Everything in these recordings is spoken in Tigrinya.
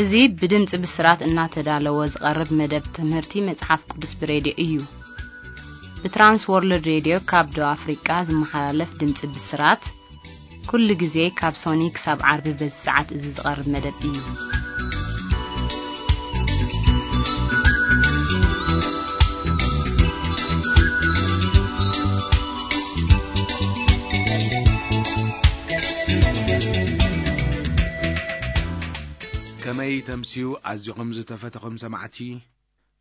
እዚ ብድምፂ ብስራት እናተዳለወ ዝቐርብ መደብ ትምህርቲ መጽሓፍ ቅዱስ ብሬድዮ እዩ። ብትራንስ ወርልድ ሬድዮ ካብ ደቡብ ኣፍሪቃ ዝመሓላለፍ ድምፂ ብስራት፣ ኩሉ ግዜ ካብ ሶኒ ክሳብ ዓርቢ በዚ ሰዓት እዚ ዝቐርብ መደብ እዩ። ከመይ ተምስዩ ኣዚኹም ዝተፈተኹም ሰማዕቲ?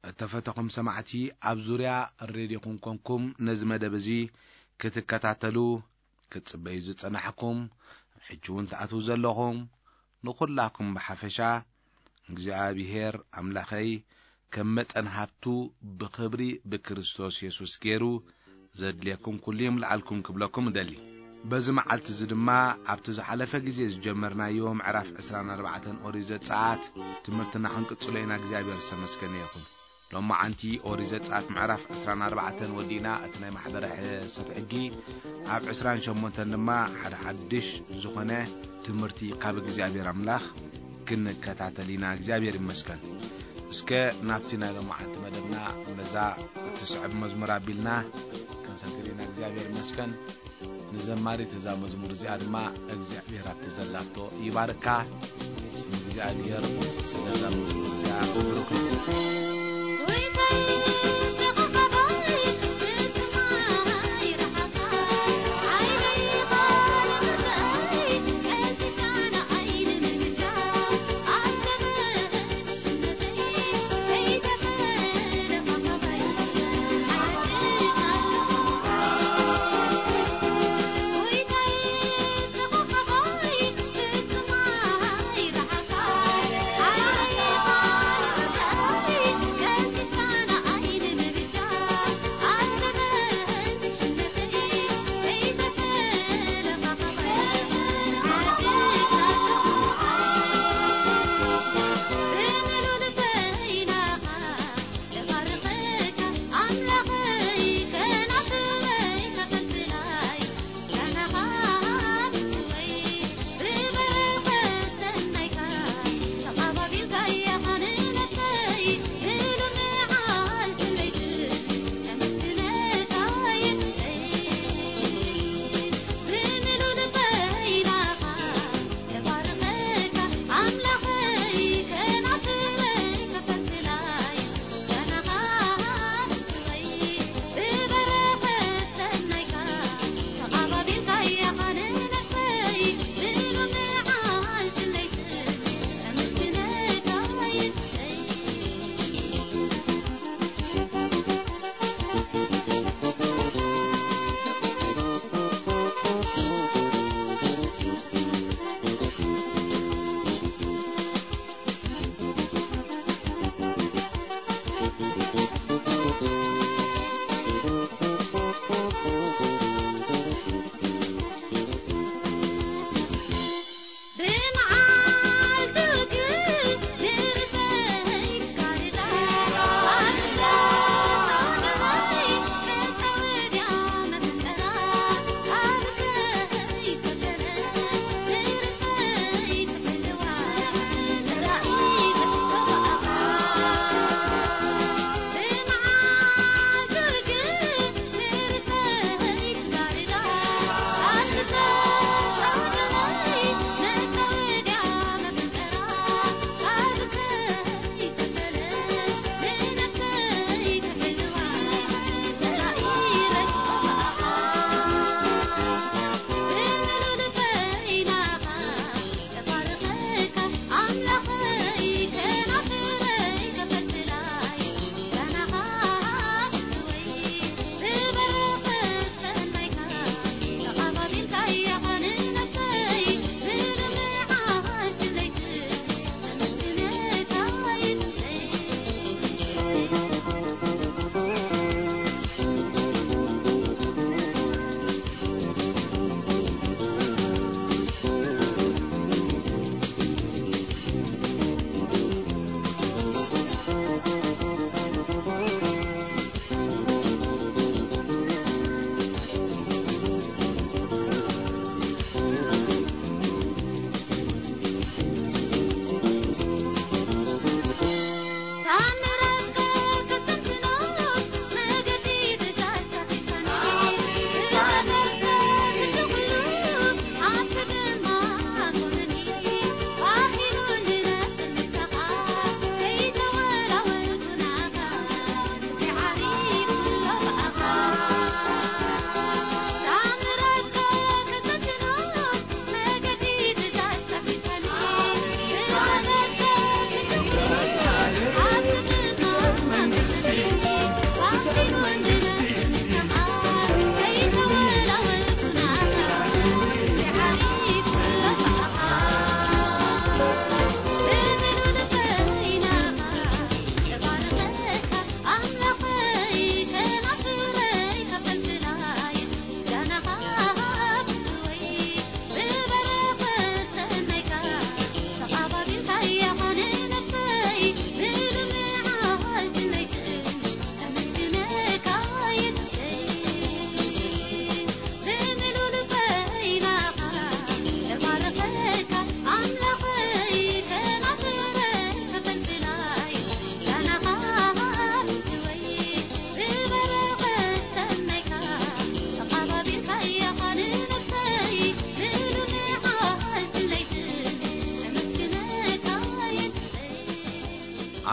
እተፈተኹም ሰማዕቲ፣ ኣብ ዙርያ ሬድዮኹም ኮንኩም ነዚ መደብ እዚ ክትከታተሉ ክትጽበዩ ዝጸናሕኩም፣ ሕጂ እውን ትኣትዉ ዘለኹም፣ ንኹላኩም ብሓፈሻ እግዚኣብሔር ኣምላኸይ ከም መጠን ሃብቱ ብኽብሪ ብክርስቶስ የሱስ ገይሩ ዘድልየኩም ኩሉ ይምልኣልኩም ክብለኩም እደሊ። በዚ መዓልቲ እዚ ድማ ኣብቲ ዝሓለፈ ግዜ ዝጀመርናዮ ምዕራፍ ዕስራን ኣርባዕተን ኦሪት ዘጸኣት ትምህርትና ክንቅጽሎ ኢና። እግዚኣብሔር ዝተመስገነ ይኹን። ሎማዓንቲ ኦሪት ዘጸኣት ምዕራፍ ዕስራን ኣርባዕተን ወዲእና፣ እቲ ናይ ማሕበረ ሕ-፣ ሰብ ሕጊ ኣብ ዕስራን ሸሞንተን ድማ ሓደ ሓድሽ ዝኾነ ትምህርቲ ካብ እግዚኣብሔር ኣምላኽ ክንከታተል ኢና። እግዚኣብሔር ይመስገን። እስከ ናብቲ ናይ ሎማዓንቲ መደብና በዛ እትስዕብ መዝሙር ኣቢልና ክንሰግድ ኢና። እግዚኣብሔር ይመስገን። ንዘማሪት እዛ መዝሙር እዚኣ ድማ እግዚኣብሔር ኣብቲ ዘላቶ ይባርካ። ስም እግዚኣብሔር ስለዛ መዝሙር እዚኣ ብሩክ ይኹን።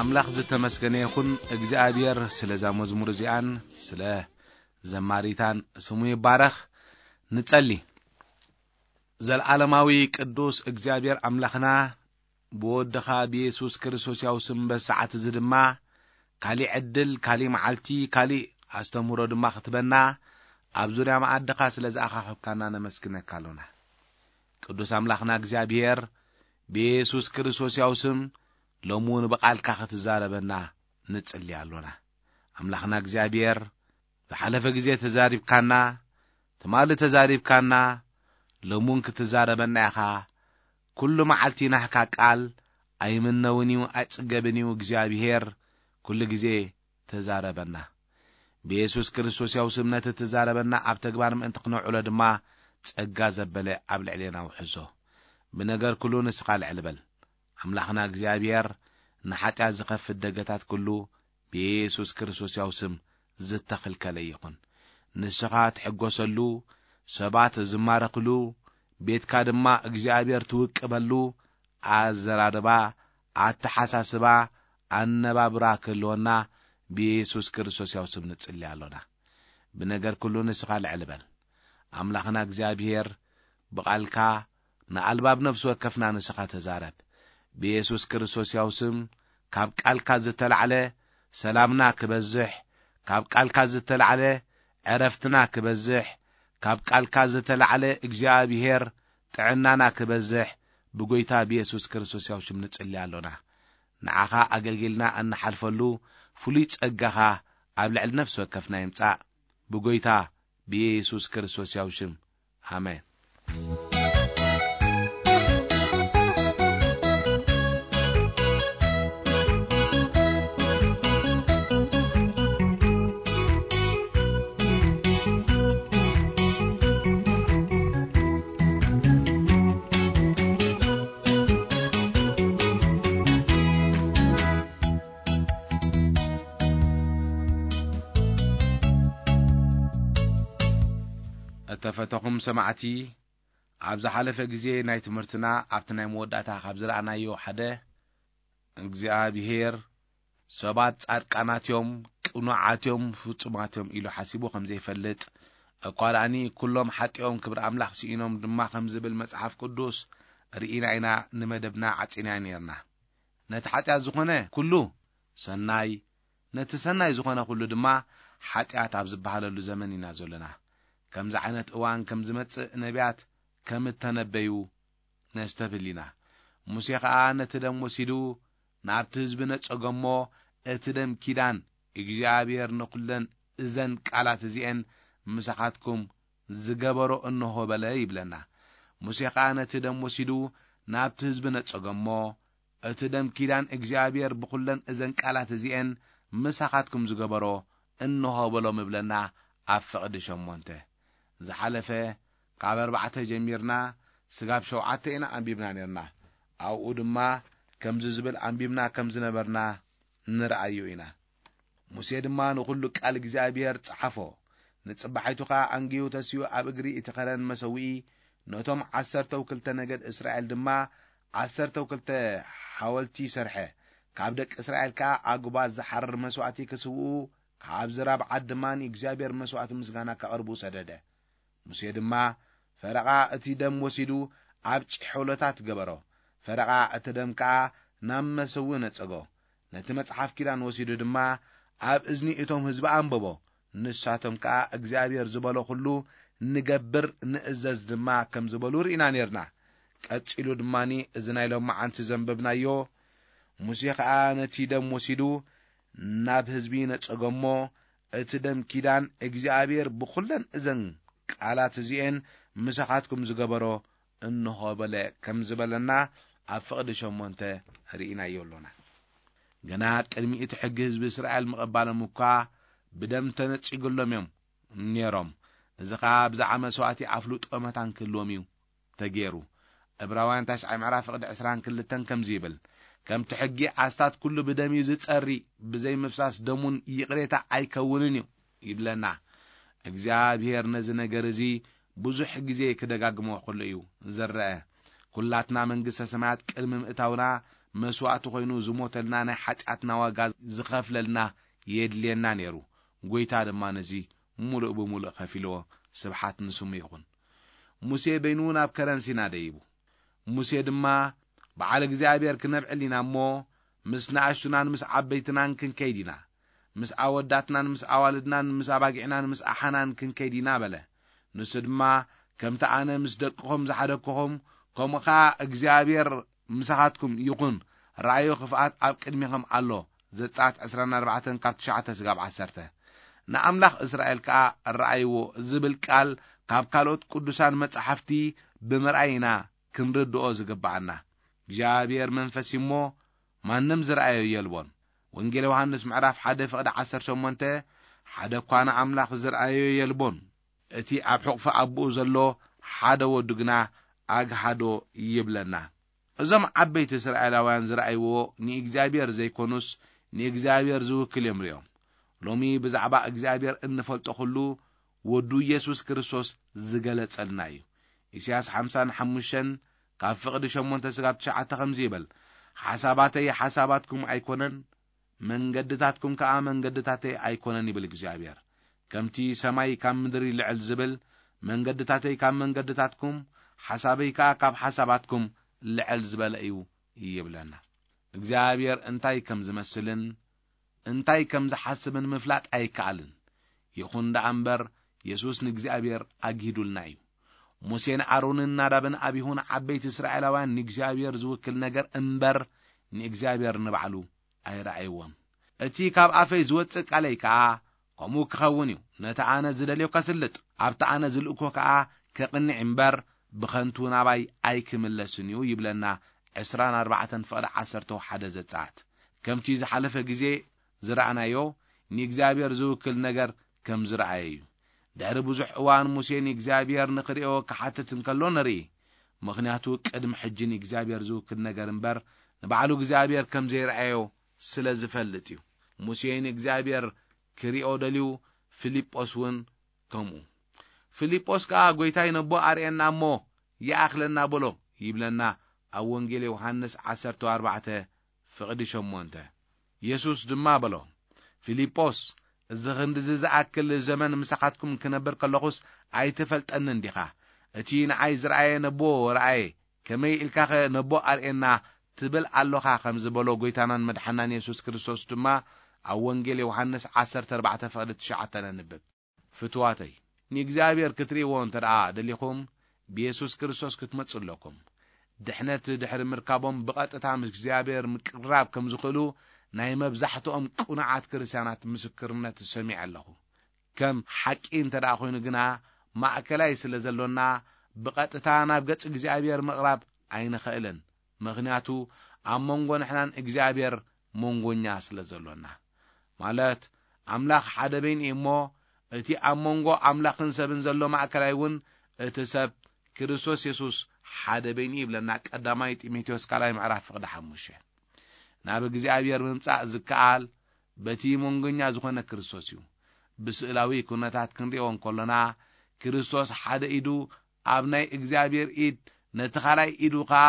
ኣምላኽ ዝተመስገነ ይኹን። እግዚኣብሔር ስለዛ መዝሙር እዚኣን ስለ ዘማሪታን ስሙ ይባረኽ። ንጸሊ። ዘልዓለማዊ ቅዱስ እግዚኣብሔር ኣምላኽና፣ ብወድኻ ብየሱስ ክርስቶስ ያው ስም በዚ ሰዓት እዚ ድማ ካሊእ ዕድል፣ ካሊእ መዓልቲ፣ ካሊእ ኣስተምህሮ ድማ ክትበና፣ ኣብ ዙርያ መኣድኻ ስለ ዝኣኻኸብካና ነመስግነካ ኣሎና። ቅዱስ ኣምላኽና እግዚኣብሔር፣ ብየሱስ ክርስቶስ ያው ስም ሎሚ እውን ብቓልካ ክትዛረበና ንጽሊ ኣሎና። ኣምላኽና እግዚኣብሔር፣ ዝሓለፈ ግዜ ተዛሪብካና፣ ትማሊ ተዛሪብካና፣ ሎሚ እውን ክትዛረበና ኢኻ። ኩሉ መዓልቲ ናህካ ቃል ኣይምነውን እዩ፣ ኣይጽገብን እዩ። እግዚኣብሔር ኩሉ ግዜ ተዛረበና። ብየሱስ ክርስቶስ ያው ስም ነቲ ትዛረበና ኣብ ተግባር ምእንቲ ክነውዕሎ ድማ ጸጋ ዘበለ ኣብ ልዕሌና ውሕዞ። ብነገር ኩሉ ንስኻ ልዕል በል። ኣምላኽና እግዚኣብሔር ንሓጢኣት ዝኸፍት ደገታት ኩሉ ብየሱስ ክርስቶስ ያው ስም ዝተኽልከለ ይኹን። ንስኻ ትሕጎሰሉ፣ ሰባት ዝማረኽሉ፣ ቤትካ ድማ እግዚኣብሔር ትውቅበሉ ኣዘራርባ፣ ኣተሓሳስባ፣ ኣነባብራ ክህልወና ብየሱስ ክርስቶስ ያው ስም ንጽሊ ኣሎና። ብነገር ኩሉ ንስኻ ልዕል በል። ኣምላኽና እግዚኣብሔር ብቓልካ ንኣልባብ ነፍሲ ወከፍና ንስኻ ተዛረብ። ብየሱስ ክርስቶስ ያው ስም ካብ ቃልካ ዝተላዕለ ሰላምና ክበዝሕ፣ ካብ ቃልካ ዝተላዕለ ዕረፍትና ክበዝሕ፣ ካብ ቃልካ ዝተላዕለ እግዚኣብሔር ጥዕናና ክበዝሕ ብጎይታ ብየሱስ ክርስቶስ ያው ሽም ንጽሊ ኣሎና። ንዓኻ ኣገልጊልና እንሓልፈሉ ፍሉይ ጸጋኻ ኣብ ልዕሊ ነፍሲ ወከፍና ይምጻእ። ብጎይታ ብየሱስ ክርስቶስ ያው ሽም። ኣሜን። እተፈተኹም ሰማዕቲ፣ ኣብ ዝሓለፈ ግዜ ናይ ትምህርትና ኣብቲ ናይ መወዳእታ ካብ ዝረኣናዮ ሓደ፣ እግዚኣብሔር ሰባት ጻድቃናት እዮም፣ ቅኑዓት እዮም፣ ፍጹማት እዮም ኢሉ ሓሲቡ ከም ዘይፈልጥ፣ እኳ ደኣኒ ኩሎም ሓጢኦም ክብሪ ኣምላኽ ስኢኖም ድማ ከም ዝብል መጽሓፍ ቅዱስ ርኢና ኢና ንመደብና ዓጺና ኔርና። ነቲ ሓጢኣት ዝኾነ ኩሉ ሰናይ፣ ነቲ ሰናይ ዝኾነ ኩሉ ድማ ሓጢኣት ኣብ ዝበሃለሉ ዘመን ኢና ዘለና። ከምዚ ዓይነት እዋን ከም ዝመጽእ ነቢያት ከም እተነበዩ ነስተብህል ኢና። ሙሴ ኸኣ ነቲ ደም ወሲዱ ናብቲ ህዝቢ ነጸጎ እሞ፣ እቲ ደም ኪዳን እግዚኣብሔር ንኹለን እዘን ቃላት እዚኤን ምሳኻትኩም ዝገበሮ እንሆ በለ ይብለና። ሙሴ ኸኣ ነቲ ደም ወሲዱ ናብቲ ህዝቢ ነጸጎ እሞ፣ እቲ ደም ኪዳን እግዚኣብሔር ብኹለን እዘን ቃላት እዚኤን ምሳኻትኩም ዝገበሮ እንሆ በሎም ይብለና ኣብ ፍቕዲ ሸሞንተ። ዝሓለፈ ካብ ኣርባዕተ ጀሚርና ስጋብ ሸውዓተ ኢና ኣንቢብና ኔርና። ኣብኡ ድማ ከምዚ ዝብል ኣንቢብና ከም ዝነበርና ንርኣዮ ኢና። ሙሴ ድማ ንኹሉ ቃል እግዚኣብሔር ጸሓፎ። ንጽባሒቱ ኸኣ ኣንጊሁ ተሲኡ ኣብ እግሪ እቲ ኸረን መሰውኢ ነቶም ዓሰርተው ክልተ ነገድ እስራኤል ድማ ዓሰርተው ክልተ ሓወልቲ ሰርሐ። ካብ ደቂ እስራኤል ከኣ ኣጉባዝ ዝሓርር መስዋእቲ ክስውኡ፣ ካብ ዝራብ ዓዲ ድማ ንእግዚኣብሔር መስዋእቲ ምስጋና ከቕርቡ ሰደደ። ሙሴ ድማ ፈረቓ እቲ ደም ወሲዱ ኣብ ጭሖሎታት ገበሮ። ፈረቓ እቲ ደም ከኣ ናብ መሰውኢ ነጸጎ። ነቲ መጽሓፍ ኪዳን ወሲዱ ድማ ኣብ እዝኒ እቶም ህዝቢ ኣንበቦ። ንሳቶም ከኣ እግዚኣብሔር ዝበሎ ኩሉ ንገብር ንእዘዝ ድማ ከም ዝበሉ ርኢና ኔርና። ቀጺሉ ድማኒ እዚ ናይ ሎመዓንቲ ዘንበብናዮ፣ ሙሴ ኸኣ ነቲ ደም ወሲዱ ናብ ህዝቢ ነጸጎ እሞ፣ እቲ ደም ኪዳን እግዚኣብሔር ብኹለን እዘን ቃላት እዚኤን ምሳኻትኩም ዝገበሮ እንሆ በለ ከም ዝበለና ኣብ ፍቕዲ ሸሞንተ ርኢናዮ ኣሎና። ገና ቅድሚ እቲ ሕጊ ህዝቢ እስራኤል ምቕባሎም እኳ ብደም ተነጺጉሎም እዮም ነይሮም። እዚ ኸኣ ብዛዕባ መስዋእቲ ኣፍልጦ መታን ክህልዎም እዩ ተገይሩ። ዕብራውያን ታሽዓይ ምዕራፍ ፍቕዲ ዕስራን ክልተን ከምዚ ይብል፣ "ከምቲ ሕጊ ኣስታት ኩሉ ብደም እዩ ዝጸሪ፣ ብዘይ ምፍሳስ ደሙን ይቕሬታ ኣይከውንን እዩ" ይብለና። እግዚኣብሔር ነዚ ነገር እዚ ብዙሕ ግዜ ክደጋግሞ ከሎ እዩ ዝረአ። ኩላትና መንግስተ ሰማያት ቅድሚ ምእታውና መስዋእቲ ኮይኑ ዝሞተልና፣ ናይ ሓጢኣትና ዋጋ ዝኸፍለልና የድልየና ነይሩ። ጎይታ ድማ ነዚ ሙሉእ ብሙሉእ ከፊልዎ። ስብሓት ንስሙ ይኹን። ሙሴ በይኑ ናብ ከረን ሲና ደይቡ። ሙሴ ድማ፣ በዓል እግዚኣብሔር ክነብዕል ኢና እሞ፣ ምስ ንኣሽቱናን ምስ ዓበይትናን ክንከይድ ኢና፣ ምስ ኣወዳትናን ምስ ኣዋልድናን ምስ ኣባጊዕናን ምስ ኣሓናን ክንከይድ ኢና በለ። ንሱ ድማ፣ ከምቲ ኣነ ምስ ደቅኹም ዝሓደግኩኹም፣ ከምኡ ኸኣ እግዚኣብሔር ምሳኻትኩም ይኹን። ራእዩ ክፍኣት ኣብ ቅድሚኹም ኣሎ። ዘጸኣት ዕስራን ኣርባዕተን ካብ ትሽዓተ ስጋብ ዓሰርተ። ንኣምላኽ እስራኤል ከኣ ረኣይዎ ዝብል ቃል ካብ ካልኦት ቅዱሳን መጻሕፍቲ ብምርኣይ ኢና ክንርድኦ ዝግብኣና። እግዚኣብሔር መንፈስ እዩ እሞ ማንም ዝረኣዮ የልቦን። ወንጌል ዮሃንስ ምዕራፍ ሓደ ፍቕዲ ዓሰርተ ሸሞንተ፣ ሓደ እኳ ንኣምላኽ ዝረኣዮ የልቦን። እቲ ኣብ ሕቑፊ ኣቦኡ ዘሎ ሓደ ወዱ ግና ኣግሃዶ ይብለና። እዞም ዓበይቲ እስራኤላውያን ዝረኣይዎ ንእግዚኣብሔር ዘይኮኑስ ንእግዚኣብሔር ዝውክል እዮም ርእዮም። ሎሚ ብዛዕባ እግዚኣብሔር እንፈልጦ ኩሉ ወዱ ኢየሱስ ክርስቶስ ዝገለጸልና እዩ። ኢሳያስ ሓምሳን ሓሙሽተን ካብ ፍቕዲ ሸሞንተ ስጋብ ትሽዓተ ከምዚ ይብል፣ ሓሳባተይ ሓሳባትኩም ኣይኮነን፣ መንገድታትኩም ከኣ መንገድታተይ ኣይኮነን ይብል እግዚኣብሔር። ከምቲ ሰማይ ካብ ምድሪ ልዕል ዝብል፣ መንገድታተይ ካብ መንገድታትኩም፣ ሓሳበይ ከኣ ካብ ሓሳባትኩም ልዕል ዝበለ እዩ ይብለና። እግዚኣብሔር እንታይ ከም ዝመስልን እንታይ ከም ዝሓስብን ምፍላጥ ኣይከኣልን። ይኹን ደኣ እምበር፣ የሱስ ንእግዚኣብሔር ኣግሂዱልና እዩ። ሙሴን ኣሮንን ናዳብን ኣቢሁን ዓበይቲ እስራኤላውያን ንእግዚኣብሔር ዝውክል ነገር እምበር ንእግዚኣብሔር ንባዕሉ ኣይረኣይዎን። እቲ ካብ ኣፈይ ዝወጽእ ቃለይ ከኣ ከምኡ ክኸውን እዩ። ነቲ ኣነ ዝደልዮ ከስልጥ፣ ኣብቲ ኣነ ዝልእኮ ከኣ ከቕንዕ እምበር ብኸንቱ ናባይ ኣይክምለስን እዩ ይብለና። ዕስራን ኣርባዕተን ፍቕዲ ዓሰርተ ሓደ ዘጸኣት። ከምቲ ዝሓለፈ ግዜ ዝረኣናዮ ንእግዚኣብሔር ዝውክል ነገር ከም ዝረኣየ እዩ። ድሕሪ ብዙሕ እዋን ሙሴ ንእግዚኣብሔር ንኽርእዮ ክሓትት እንከሎ ንርኢ። ምኽንያቱ ቅድሚ ሕጂ ንእግዚኣብሔር ዝውክል ነገር እምበር ንባዕሉ እግዚኣብሔር ከም ዘይረኣዮ ስለ ዝፈልጥ እዩ። ሙሴ ንእግዚኣብሔር ክርእዮ ደልዩ፣ ፊልጶስ እውን ከምኡ። ፊልጶስ ከኣ "ጐይታይ ነቦ ኣርእየና እሞ ይኣኽለና" በሎ ይብለና ኣብ ወንጌል ዮሃንስ ዓሰርተ ኣርባዕተ ፍቕዲ ሸሞንተ። የሱስ ድማ በሎ፣ "ፊልጶስ፣ እዚ ኽንድዚ ዝኣክል ዘመን ምሳኻትኩም ክነብር ከለኹስ ኣይትፈልጠንን ዲኻ? እቲ ንዓይ ዝረኣየ ነቦ ረኣየ፣ ከመይ ኢልካኸ ነቦ ኣርእየና ትብል ኣሎኻ?" ከም ዝበሎ ጐይታናን መድሓናን የሱስ ክርስቶስ ድማ ኣብ ወንጌል ዮሃንስ ዓሰርተ ኣርባዕተ ፍቕዲ ትሽዓተ ነንብብ። ፍትዋተይ፣ ንእግዚኣብሔር ክትርእይዎ እንተ ደኣ ደሊኹም፣ ብየሱስ ክርስቶስ ክትመጹ ኣለኩም። ድሕነት ድሕሪ ምርካቦም ብቐጥታ ምስ እግዚኣብሔር ምቅርራብ ከም ዝኽእሉ ናይ መብዛሕትኦም ቅኑዓት ክርስትያናት ምስክርነት ሰሚዐ ኣለኹ። ከም ሓቂ እንተ ደኣ ኾይኑ ግና፣ ማእከላይ ስለ ዘሎና፣ ብቐጥታ ናብ ገጽ እግዚኣብሔር ምቕራብ ኣይንኽእልን። ምኽንያቱ፣ ኣብ መንጎ ንሕናን እግዚኣብሔር መንጎኛ ስለ ዘሎና። ማለት፣ ኣምላኽ ሓደ በይኑ እዩ እሞ፣ እቲ ኣብ መንጎ ኣምላኽን ሰብን ዘሎ ማእከላይ እውን፣ እቲ ሰብ ክርስቶስ የሱስ ሓደ በይኑ እዩ ይብለና ቀዳማይ ጢሞቴዎስ ካልኣይ ምዕራፍ ፍቕዲ ሓሙሽተ። ናብ እግዚኣብሔር ምምጻእ ዝከኣል በቲ መንጎኛ ዝኾነ ክርስቶስ እዩ። ብስእላዊ ኩነታት ክንርእዮ እንከሎና፣ ክርስቶስ ሓደ ኢዱ ኣብ ናይ እግዚኣብሔር ኢድ፣ ነቲ ካልኣይ ኢዱ ኸኣ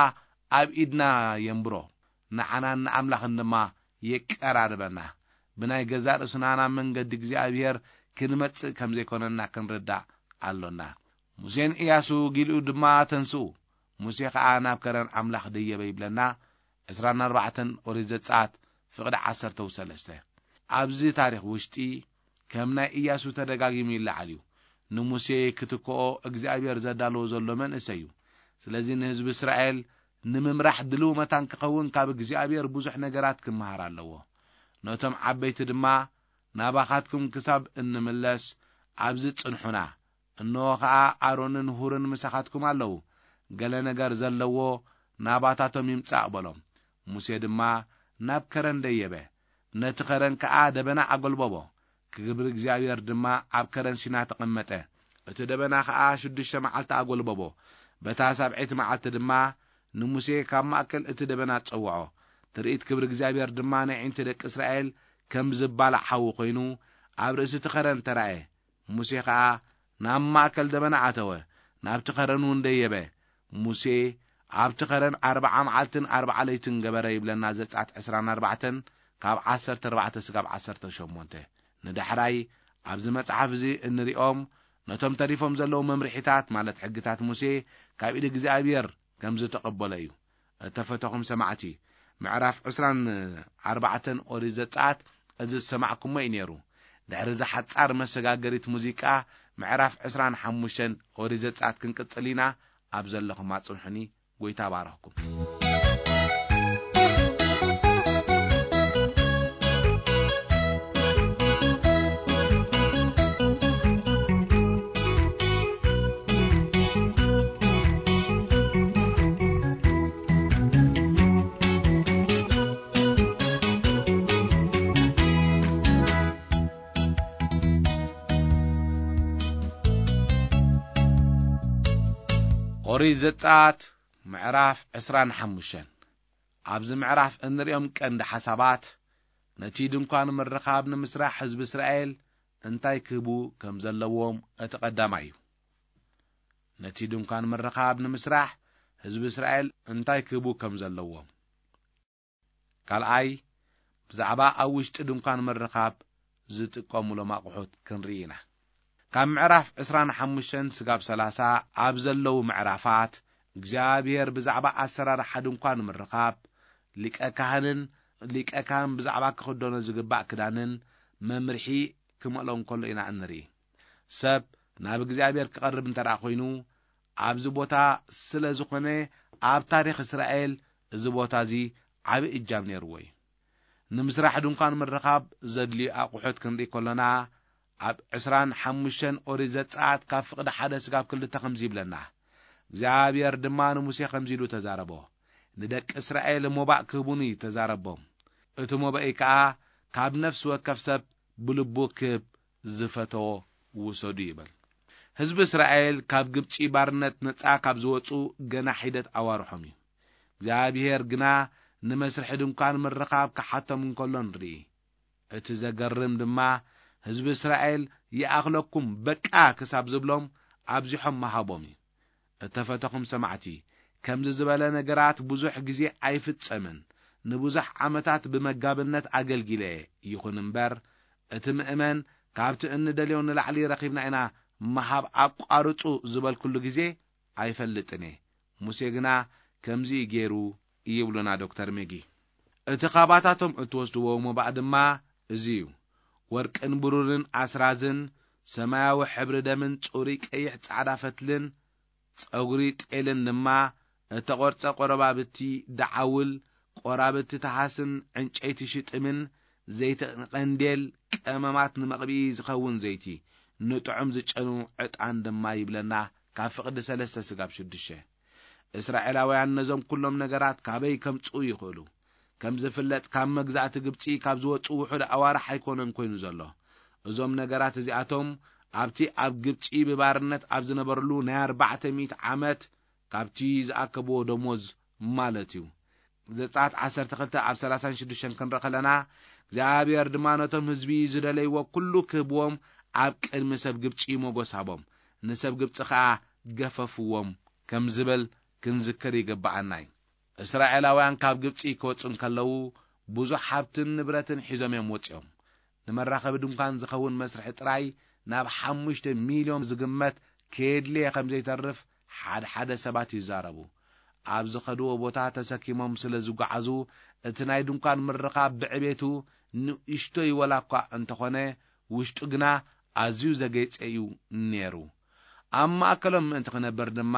ኣብ ኢድና የንብሮ። ንዓናን ንኣምላኽን ድማ የቀራርበና። ብናይ ገዛእ ርእስና ናብ መንገዲ እግዚኣብሔር ክንመጽእ ከም ዘይኮነና ክንርዳእ ኣሎና። ሙሴን እያሱ ጊልኡ ድማ ተንስኡ፣ ሙሴ ኸኣ ናብ ከረን ኣምላኽ ደየበ ይብለና፣ ዕስራን ኣርባዕተን ኦሪት ዘጸኣት ፍቕዲ ዓሰርተ ሰለስተ። ኣብዚ ታሪኽ ውሽጢ ከም ናይ እያሱ ተደጋጊሙ ይለዓል እዩ። ንሙሴ ክትክኦ እግዚኣብሔር ዘዳለዎ ዘሎ መንእሰይ እዩ። ስለዚ ንህዝቢ እስራኤል ንምምራሕ ድልው መታን ክኸውን ካብ እግዚኣብሔር ብዙሕ ነገራት ክመሃር ኣለዎ። ነቶም ዓበይቲ ድማ "ናባኻትኩም ክሳብ እንምለስ ኣብዚ ጽንሑና። እንሆ ኸኣ ኣሮንን ሁርን ምሳኻትኩም ኣለዉ። ገለ ነገር ዘለዎ ናባታቶም ይምጻእ" በሎም። ሙሴ ድማ ናብ ከረን ደየበ። ነቲ ከረን ከኣ ደበና ኣጎልበቦ። ክብሪ እግዚኣብሔር ድማ ኣብ ከረን ሲና ተቐመጠ። እቲ ደበና ኸኣ ሽዱሽተ መዓልቲ ኣጎልበቦ። በታ ሳብዐይቲ መዓልቲ ድማ ንሙሴ ካብ ማእከል እቲ ደበና ጸውዖ። ትርኢት ክብሪ እግዚኣብሔር ድማ ንኣዒንቲ ደቂ እስራኤል ከም ዝባላዕ ሓዊ ኮይኑ፣ ኣብ ርእሲ እቲ ከረን ተራእየ። ሙሴ ኸኣ ናብ ማእከል ደበና ኣተወ፣ ናብቲ ከረን እውን ደየበ። ሙሴ ኣብቲ ኸረን ኣርብዓ መዓልትን ኣርብዓ ለይትን ገበረ ይብለና ዘጸኣት ዕስራን ኣርባዕተን ካብ ዓሰርተ ኣርባዕተ ስጋብ ዓሰርተ ሸሞንተ። ንዳሕራይ ኣብዚ መጽሓፍ እዚ እንሪኦም ነቶም ተሪፎም ዘለዉ መምርሒታት ማለት ሕግታት ሙሴ ካብ ኢድ እግዚኣብሔር ከም ዝተቐበሎ እዩ። እተፈተኹም ሰማዕቲ፣ ምዕራፍ ዕስራን ኣርባዕተን ኦሪት ዘጸኣት እዚ ዝሰማዕኩሞ እዩ ነይሩ። ድሕሪ እዛ ሓጻር መሰጋገሪት ሙዚቃ፣ ምዕራፍ ዕስራን ሓሙሽተን ኦሪት ዘጸኣት ክንቅጽል ኢና። ኣብ ዘለኹም ኣጽንሑኒ። ጎይታ ባረኽኩም። ኦሪት ዘጸኣት ምዕራፍ ዕስራን ሓሙሽተን። ኣብዚ ምዕራፍ እንርእዮም ቀንዲ ሓሳባት፣ ነቲ ድንኳን ምርኻብ ንምስራሕ ህዝቢ እስራኤል እንታይ ክህቡ ከም ዘለዎም እቲ ቀዳማይ እዩ። ነቲ ድንኳን ምርኻብ ንምስራሕ ህዝቢ እስራኤል እንታይ ክህቡ ከም ዘለዎም። ካልኣይ፣ ብዛዕባ ኣብ ውሽጢ ድንኳን ምርኻብ ዝጥቀሙሎም ኣቑሑት ክንርኢ ኢና። ካብ ምዕራፍ ዕስራን ሓሙሽተን ስጋብ ሰላሳ ኣብ ዘለዉ ምዕራፋት፣ እግዚኣብሔር ብዛዕባ ኣሰራርሓ ድንኳን ምርኻብ፣ ሊቀ ካህንን ሊቀ ካህን ብዛዕባ ክኽደኖ ዝግባእ ክዳንን መምርሒ ክመልኦ እንከሎ ኢና እንርኢ። ሰብ ናብ እግዚኣብሔር ክቐርብ እንተ ደኣ ኾይኑ፣ ኣብዚ ቦታ ስለ ዝኾነ፣ ኣብ ታሪኽ እስራኤል እዚ ቦታ እዚ ዓቢ እጃም ነይርዎ እዩ። ንምስራሕ ድንኳን ምርኻብ ዘድልዩ ኣቑሑት ክንርኢ ከሎና፣ ኣብ ዕስራን ሓሙሽተን ኦሪት ዘጸኣት ካብ ፍቕዲ ሓደ ስጋብ ክልተ ከምዚ ይብለና። እግዚኣብሔር ድማ ንሙሴ ከምዚ ኢሉ ተዛረቦ። ንደቂ እስራኤል ሞባእ ክህቡኒ ተዛረቦም። እቲ ሞባኢ ከኣ ካብ ነፍሲ ወከፍ ሰብ ብልቡ ክህብ ዝፈተዎ ውሰዱ ይብል። ህዝቢ እስራኤል ካብ ግብጺ ባርነት ነጻ ካብ ዝወጹ ገና ሒደት ኣዋርሖም እዩ። እግዚኣብሔር ግና ንመስርሒ ድንኳን ምርኻብ ክሓቶም እንከሎ ንርኢ። እቲ ዘገርም ድማ ህዝቢ እስራኤል ይኣኽለኩም በቃ ክሳብ ዝብሎም ኣብዚሖም ምሃቦም እዩ። እተፈተኹም ሰማዕቲ፣ ከምዚ ዝበለ ነገራት ብዙሕ ግዜ ኣይፍጸምን። ንብዙሕ ዓመታት ብመጋብነት ኣገልጊለ፣ ይኹን እምበር እቲ ምእመን ካብቲ እንደልዮ ንላዕሊ ረኺብና ኢና ምሃብ ኣቋርጹ ዝበልኩሉ ግዜ ኣይፈልጥን እየ። ሙሴ ግና ከምዚ ገይሩ ይብሉና ዶክተር ሜጊ። እቲ ካባታቶም እትወስድዎ ሞባእ ድማ እዚ እዩ። ወርቅን ብሩርን ኣስራዝን፣ ሰማያዊ ሕብሪ ደምን ጽሩይ ቀይሕ ጻዕዳ ፈትልን፣ ጸጉሪ ጤልን ድማ፣ እተቖርጸ ቆረባብቲ ደዓውል፣ ቆራብቲ ተሃስን ዕንጨይቲ ሽጥምን፣ ዘይቲ ቀንዴል፣ ቀመማት ንመቕብኢ ዝኸውን ዘይቲ፣ ንጥዑም ዝጨኑ ዕጣን ድማ ይብለና፣ ካብ ፍቕዲ ሰለስተ ስጋብ ሽዱሽተ። እስራኤላውያን ነዞም ኩሎም ነገራት ካበይ ከምጽኡ ይኽእሉ? ከም ዝፍለጥ፣ ካብ መግዛእቲ ግብጺ ካብ ዝወጹ ውሑድ ኣዋርሕ ኣይኮነን ኮይኑ ዘሎ። እዞም ነገራት እዚኣቶም ኣብቲ ኣብ ግብጺ ብባርነት ኣብ ዝነበርሉ ናይ ኣርባዕተ ሚእቲ ዓመት ካብቲ ዝኣከብዎ ደሞዝ ማለት እዩ። ዘጸኣት ዓሰርተ ክልተ ኣብ ሰላሳን ሽዱሽተን ክንርኢ ከለና፣ እግዚኣብሔር ድማ ነቶም ህዝቢ ዝደለይዎ ኩሉ ክህብዎም ኣብ ቅድሚ ሰብ ግብጺ ሞጎስ ሃቦም፣ ንሰብ ግብጺ ኸኣ ገፈፍዎም ከም ዝብል ክንዝክር ይግብኣና እዩ። እስራኤላውያን ካብ ግብጺ ክወጹ እንከለዉ ብዙሕ ሃብትን ንብረትን ሒዞም እዮም ወጺኦም። ንመራኸቢ ድንኳን ዝኸውን መስርሒ ጥራይ ናብ ሓሙሽተ ሚልዮን ዝግመት ከየድልየ ከም ዘይተርፍ ሓደ ሓደ ሰባት ይዛረቡ። ኣብ ዝኸድዎ ቦታ ተሰኪሞም ስለ ዝጓዓዙ፣ እቲ ናይ ድንኳን ምርኻብ ብዕቤቱ ንእሽቶይ ወላ እኳ እንተኾነ፣ ውሽጡ ግና ኣዝዩ ዘጌጸ እዩ ነይሩ። ኣብ ማእከሎም ምእንቲ ክነብር ድማ፣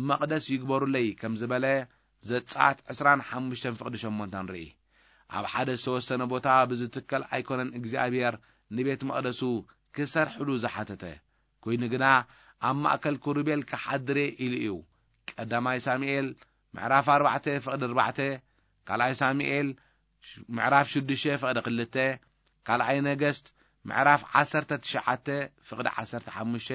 መቕደስ ይግበሩለይ ከም ዝበለ፣ ዘጸኣት ዕስራን ሓሙሽተን ፍቕዲ ሸሞንተ ንርኢ። ኣብ ሓደ ዝተወሰነ ቦታ ብዝትከል ኣይኮነን እግዚኣብሔር ንቤት መቕደሱ ክሰርሕሉ ዝሓተተ። ኮይኑ ግና፣ ኣብ ማእከል ክሩቤል ክሓድር እየ ኢሉ እዩ። ቀዳማይ ሳሙኤል ምዕራፍ ኣርባዕተ ፍቕዲ ኣርባዕተ፣ ካልኣይ ሳሙኤል ምዕራፍ ሽዱሽተ ፍቕዲ ክልተ፣ ካልኣይ ነገስት ምዕራፍ ዓሰርተ ትሽዓተ ፍቕዲ ዓሰርተ ሓሙሽተ፣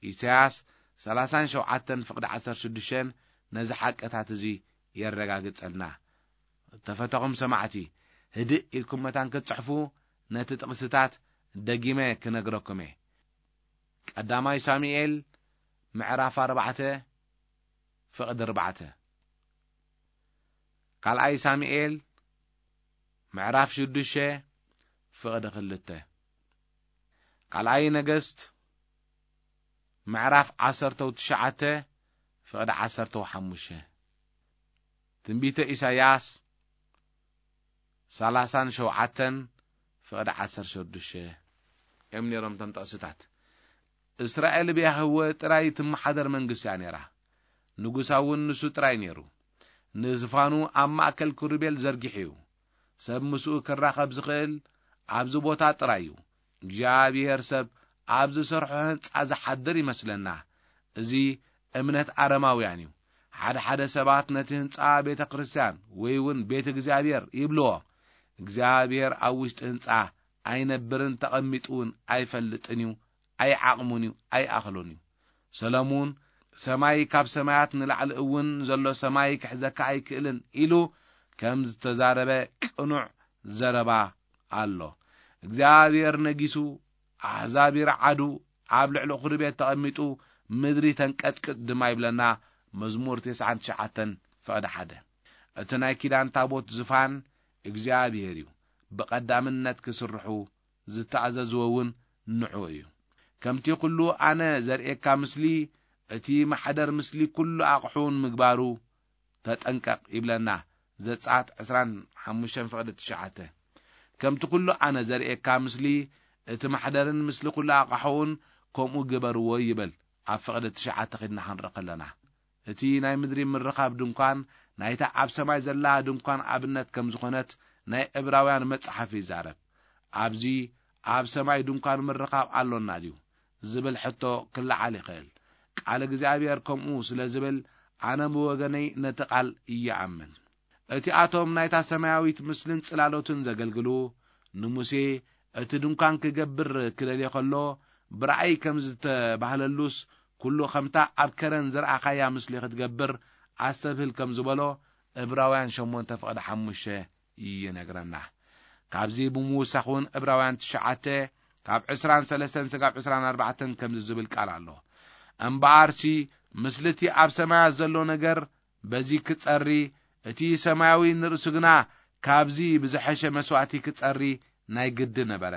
ኢሳያስ ሰላሳን ሸውዓተን ፍቕዲ ዓሰርተ ሽዱሽተን ነዚ ሓቅታት እዚ የረጋግጸልና። እተፈተኹም ሰማዕቲ፣ ህድእ ኢልኩም መታን ክትጽሕፉ ነቲ ጥቕስታት ደጊመ ክነግረኩም እየ። ቀዳማይ ሳሙኤል ምዕራፍ ኣርባዕተ ፍቕዲ ኣርባዕተ። ካልኣይ ሳሙኤል ምዕራፍ ሽዱሽተ ፍቕዲ ክልተ። ካልኣይ ነገስት ምዕራፍ ዓሰርተው ትሽዓተ ፍቕዲ ዓሰርተው ሓሙሽተ። ትንቢተ ኢሳይያስ ሰላሳን ሸውዓተን ፍቕዲ ዓሰርተ ሽዱሽተ እዮም ነይሮም እቶም ጥቕስታት። እስራኤል ብያህወ ጥራይ ትመሓደር መንግስቲ እያ ነይራ። ንጉሳ እውን ንሱ ጥራይ ነይሩ። ንዝፋኑ ኣብ ማእከል ክሩቤል ዘርጊሑ እዩ። ሰብ ምስኡ ክራኸብ ዝኽእል ኣብዚ ቦታ ጥራይ እዩ። እግዚኣብሔር ሰብ ኣብ ዝሰርሖ ህንጻ ዝሓድር ይመስለና። እዚ እምነት ኣረማውያን እዩ። ሓደ ሓደ ሰባት ነቲ ህንጻ ቤተ ክርስቲያን ወይ እውን ቤት እግዚኣብሔር ይብልዎ። እግዚኣብሔር ኣብ ውሽጢ ህንጻ ኣይነብርን ተቐሚጡ እውን ኣይፈልጥን እዩ፣ ኣይዓቕሙን እዩ፣ ኣይኣኽሎን እዩ። ሰለሙን፣ "ሰማይ ካብ ሰማያት ንላዕሊ እውን ዘሎ ሰማይ ክሕዘካ ኣይክእልን" ኢሉ ከም ዝተዛረበ ቅኑዕ ዘረባ ኣሎ። እግዚኣብሔር ነጊሱ፣ ኣሕዛብ ይርዓዱ፣ ኣብ ልዕሊ ኹሪ ቤት ተቐሚጡ፣ ምድሪ ተንቀጥቅጥ ድማ ይብለና መዝሙር ተስዓን ትሽዓተን ፍቕዲ ሓደ። እቲ ናይ ኪዳን ታቦት ዝፋን እግዚኣብሔር እዩ። ብቐዳምነት ክስርሑ ዝተኣዘዝዎ እውን ንዑ እዩ። "ከምቲ ኩሉ ኣነ ዘርእየካ ምስሊ፣ እቲ ማሕደር ምስሊ ኩሉ ኣቕሑን ምግባሩ ተጠንቀቕ" ይብለና ዘጸኣት ዕስራን ሓሙሽተን ፍቕዲ ትሽዓተ። "ከምቲ ኩሉ ኣነ ዘርእየካ ምስሊ፣ እቲ ማሕደርን ምስሊ ኩሉ ኣቕሑን ከምኡ ግበርዎ" ይብል ኣብ ፍቕዲ ትሽዓተ ኺድና ክንርኢ ከለና። እቲ ናይ ምድሪ ምርኻብ ድንኳን ናይታ ኣብ ሰማይ ዘላ ድንኳን ኣብነት ከም ዝኾነት ናይ ዕብራውያን መጽሓፍ ይዛረብ። ኣብዚ ኣብ ሰማይ ድንኳን ምርኻብ ኣሎና ድዩ ዝብል ሕቶ ክለዓል ይኽእል። ቃል እግዚኣብሔር ከምኡ ስለ ዝብል ኣነ ብወገነይ ነቲ ቃል ይኣምን። እቲኣቶም ናይታ ሰማያዊት ምስልን ጽላሎትን ዘገልግሉ ንሙሴ እቲ ድንኳን ክገብር ክደልዮ ከሎ ብራእይ ከም ዝተባህለሉስ ኩሉ ከምታ ኣብ ከረን ዝረኣኻያ ምስሊ ክትገብር ኣስተብህል ከም ዝበሎ ዕብራውያን ሸሞንተ ፍቕዲ ሓሙሽተ ይነግረና። ካብዚ ብምውሳኽ እውን ዕብራውያን ትሽዓተ ካብ ዕስራን ሰለስተን ስጋብ ዕስራን ኣርባዕተን ከምዚ ዝብል ቃል ኣሎ። "እምበኣርሲ ምስልቲ ኣብ ሰማያት ዘሎ ነገር በዚ ክጸሪ፣ እቲ ሰማያዊ ንርእሱ ግና ካብዚ ብዝሐሸ መስዋእቲ ክጸሪ ናይ ግዲ ነበረ።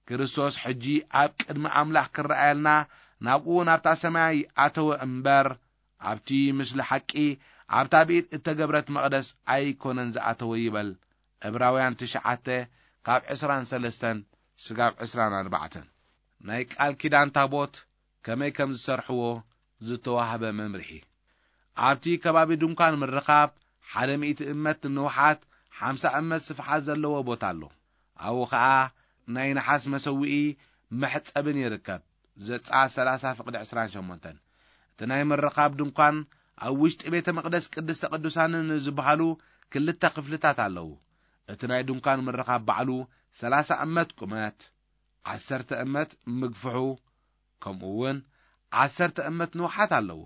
ክርስቶስ ሕጂ ኣብ ቅድሚ ኣምላኽ ክረኣየልና ናብኡ ናብታ ሰማይ ኣተወ እምበር፣ ኣብቲ ምስሊ ሓቂ ኣብታ ብኢድ እተገብረት መቕደስ ኣይኮነን ዝኣተወ" ይበል። ዕብራውያን ትሽዓተ ካብ ዕስራን ሰለስተን ስጋብ ዕስራን ኣርባዕተን። ናይ ቃል ኪዳን ታቦት ከመይ ከም ዝሰርሕዎ ዝተዋህበ መምርሒ። ኣብቲ ከባቢ ድንኳን ምርኻብ ሓደ ሚእቲ እመት ንውሓት፣ ሓምሳ እመት ስፍሓት ዘለዎ ቦታ ኣሎ። ኣብኡ ኸኣ ናይ ነሓስ መሰውኢ መሕጸብን ይርከብ። ዘጸኣት ሰላሳ ፍቕዲ ዕስራን ሸሞንተን። እቲ ናይ ምርኻብ ድንኳን ኣብ ውሽጢ ቤተ መቕደስ ቅድስተ ቅዱሳንን ዝበሃሉ ክልተ ክፍልታት ኣለዉ። እቲ ናይ ድንኳን ምርኻብ ባዕሉ ሰላሳ እመት ቁመት፣ ዓሰርተ እመት ምግፍሑ፣ ከምኡ እውን ዓሰርተ እመት ንውሓት ኣለዎ።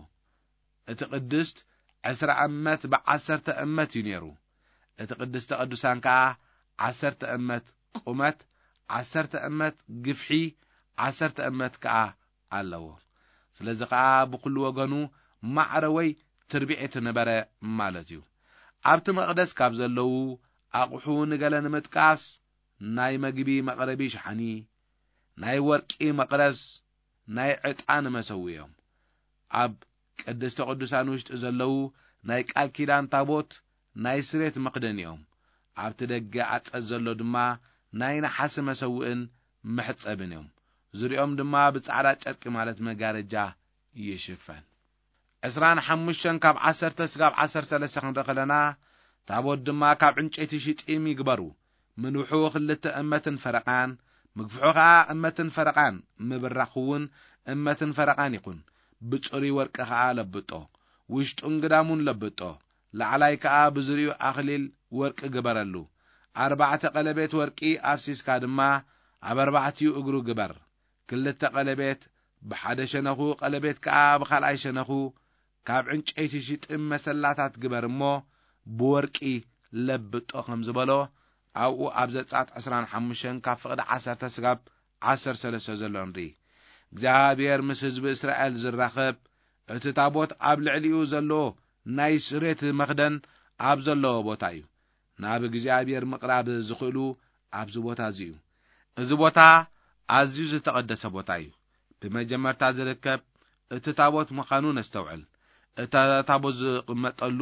እቲ ቅድስት ዕስራ እመት ብዓሰርተ እመት እዩ ነይሩ። እቲ ቅድስተ ቅዱሳን ከኣ ዓሰርተ እመት ቁመት፣ ዓሰርተ እመት ግፍሒ፣ ዓሰርተ እመት ከኣ ኣለዎ። ስለዚ ከኣ ብኹሉ ወገኑ ማዕረ ወይ ትርቢዒት ነበረ ማለት እዩ። ኣብቲ መቕደስ ካብ ዘለዉ ኣቑሑ ንገለ ንምጥቃስ፣ ናይ መግቢ መቕረቢ ሸሓኒ፣ ናይ ወርቂ መቕረዝ፣ ናይ ዕጣን መሰውኢ እዮም። ኣብ ቅድስተ ቅዱሳን ውሽጢ ዘለዉ ናይ ቃል ኪዳን ታቦት፣ ናይ ስሬት መኽደኒ እዮም። ኣብቲ ደገ ኣጸድ ዘሎ ድማ ናይ ነሓሲ መሰውእን መሕጸብን እዮም። ዙሪኦም ድማ ብጻዕዳ ጨርቂ ማለት መጋረጃ ይሽፈን። ዕስራን ሓሙሽተን ካብ ዓሰርተ ስጋብ ዓሰርተ ሰለስተ ክንርኢ ከለና፣ ታቦት ድማ ካብ ዕንጨይቲ ሽጢም ይግበሩ። ምንውሑ ክልተ እመትን ፈረቓን፣ ምግፍሑ ኸኣ እመትን ፈረቓን፣ ምብራኹ እውን እመትን ፈረቓን ይኹን። ብጽሩይ ወርቂ ኸኣ ለብጦ፣ ውሽጡን ግዳሙን ለብጦ። ላዕላይ ከኣ ብዙሪኡ ኣኽሊል ወርቂ ግበረሉ። ኣርባዕተ ቀለቤት ወርቂ ኣፍሲስካ ድማ ኣብ ኣርባዕቲኡ እግሩ ግበር። ክልተ ቀለቤት ብሓደ ሸነኹ፣ ቀለቤት ከኣ ብኻልኣይ ሸነኹ፣ ካብ ዕንጨይቲ ሽጥም መሰላታት ግበር እሞ ብወርቂ ለብጦ ከም ዝበሎ፣ ኣብኡ ኣብ ዘጸኣት ዕስራን ሓሙሽተን ካብ ፍቕዲ ዓሰርተ ስጋብ ዓሰርተ ሰለስተ ዘሎ ንርኢ። እግዚኣብሔር ምስ ህዝቢ እስራኤል ዝራኸብ፣ እቲ ታቦት ኣብ ልዕሊኡ ዘሎ ናይ ስሬት መኽደን ኣብ ዘለዎ ቦታ እዩ። ናብ እግዚኣብሔር ምቕራብ ዝኽእሉ ኣብዚ ቦታ እዚ እዩ። እዚ ቦታ ኣዝዩ ዝተቐደሰ ቦታ እዩ። ብመጀመርታ ዝርከብ እቲ ታቦት ምዃኑ ነስተውዕል። እቲ ታቦት ዝቕመጠሉ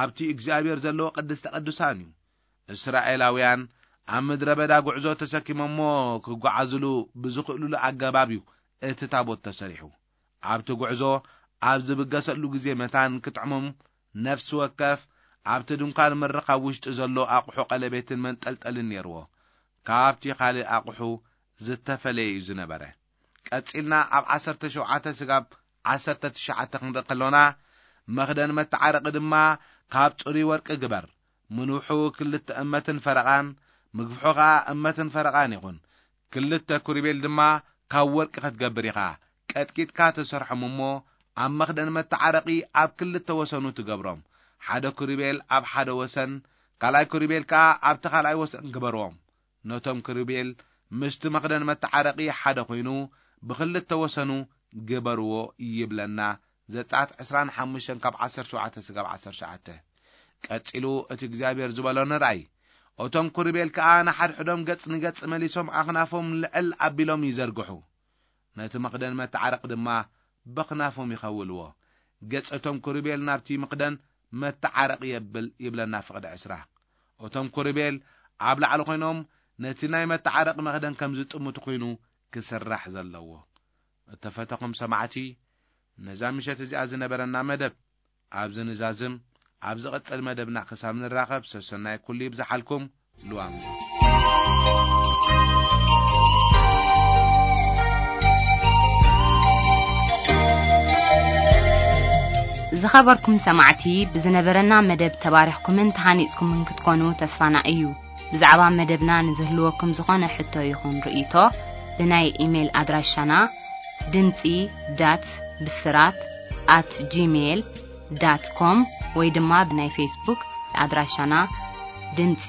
ኣብቲ እግዚኣብሔር ዘለዎ ቅድስተ ቅዱሳን እዩ። እስራኤላውያን ኣብ ምድረ በዳ ጉዕዞ ተሰኪሞሞ ክጓዓዝሉ ብዝኽእሉሉ ኣገባብ እዩ እቲ ታቦት ተሰሪሑ። ኣብቲ ጉዕዞ ኣብ ዝብገሰሉ ግዜ መታን ክጥዕሞም ነፍሲ ወከፍ ኣብቲ ድንኳን ምርኻብ ውሽጢ ዘሎ ኣቑሑ ቀለቤትን መንጠልጠልን ነይርዎ። ካብቲ ካልእ ኣቑሑ ዝተፈለየ እዩ ዝነበረ። ቀጺልና ኣብ ዓሰርተ ሸውዓተ ስጋብ ዓሰርተ ትሽዓተ ክንርኢ ከሎና፣ መኽደን መተዓረቂ ድማ ካብ ጽሩይ ወርቂ ግበር። ምንውሑ ክልተ እመትን ፈረቓን፣ ምግፍሑ ኸኣ እመትን ፈረቓን ይኹን። ክልተ ኩሪቤል ድማ ካብ ወርቂ ክትገብር ኢኻ። ቀጥቂጥካ ትሰርሖም እሞ ኣብ መኽደን መተዓረቂ ኣብ ክልተ ወሰኑ ትገብሮም። ሓደ ኩሪቤል ኣብ ሓደ ወሰን፣ ካልኣይ ኩሪቤል ከኣ ኣብቲ ካልኣይ ወሰን ግበርዎም። ነቶም ክሩቤል ምስቲ መኽደን መተዓረቂ ሓደ ኮይኑ ብኽልተ ወሰኑ ግበርዎ ይብለና። ዘጸኣት ዕስራን ሓሙሽተን ካብ ዓሰርተ ሸውዓተ ስጋብ ዓሰርተ ትሽዓተ። ቀጺሉ እቲ እግዚኣብሔር ዝበሎ ንርኣይ። እቶም ክሩቤል ከኣ ንሓድሕዶም ገጽ ንገጽ መሊሶም ኣኽናፎም ልዕል ኣቢሎም ይዘርግሑ። ነቲ መኽደን መተዓረቂ ድማ በኽናፎም ይኸውልዎ። ገጽ እቶም ክሩቤል ናብቲ መኽደን መተዓረቂ የብል ይብለና ፍቕዲ ዕስራ። እቶም ክሩቤል ኣብ ላዕሊ ኮይኖም ነቲ ናይ መተዓረቂ መኽደን ከም ዝጥምቱ ኮይኑ ክስራሕ ዘለዎ። እተፈተኹም ሰማዕቲ፣ ነዛ ምሸት እዚኣ ዝነበረና መደብ ኣብዚ ንዛዝም። ኣብ ዝቕጽል መደብና ክሳብ ንራኸብ ሰሰናይ ኩሉ ይብዝሓልኩም። ልዋም። ዝኸበርኩም ሰማዕቲ፣ ብዝነበረና መደብ ተባሪኽኩምን ተሃኒጽኩምን ክትኮኑ ተስፋና እዩ። ብዛዕባ መደብና ንዝህልወኩም ዝኾነ ሕቶ ይኹን ርእይቶ፣ ብናይ ኢሜይል ኣድራሻና ድምጺ ዳት ብስራት ኣት ጂሜይል ዳት ኮም ወይ ድማ ብናይ ፌስቡክ ኣድራሻና ድምጺ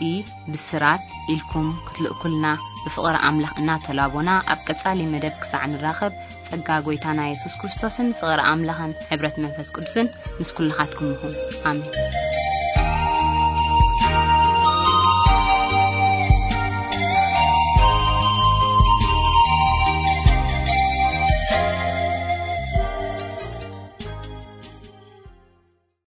ብስራት ኢልኩም ክትልእኩልና ብፍቕሪ ኣምላኽ እናተላቦና፣ ኣብ ቀጻሊ መደብ ክሳዕ ንራኸብ፣ ጸጋ ጐይታና የሱስ ክርስቶስን ፍቕሪ ኣምላኽን ሕብረት መንፈስ ቅዱስን ምስ ኩልኻትኩም ይኹን። ኣሜን።